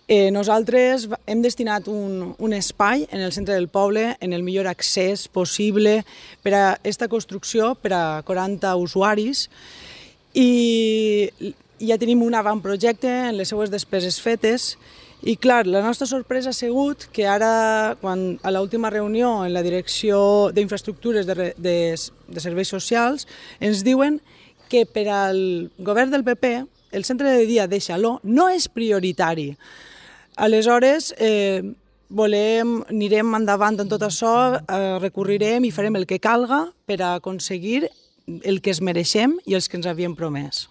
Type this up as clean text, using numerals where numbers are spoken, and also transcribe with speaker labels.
Speaker 1: Nosaltres hem destinat un espai en el centre del poble, en el millor accés possible per a aquesta construcció, per a 40 usuaris, i ja tenim un avantprojecte en les seues despeses fetes. I clar, la nostra sorpresa ha sigut que ara, quan a l'última reunió en la Direcció d'Infraestructures de Serveis Socials, ens diuen que per al govern del PP el centre de dia de Xaló no és prioritari. Aleshores, anirem endavant en tot això, recorrirem i farem el que calga per a aconseguir el que es mereixem i els que ens havíem promès.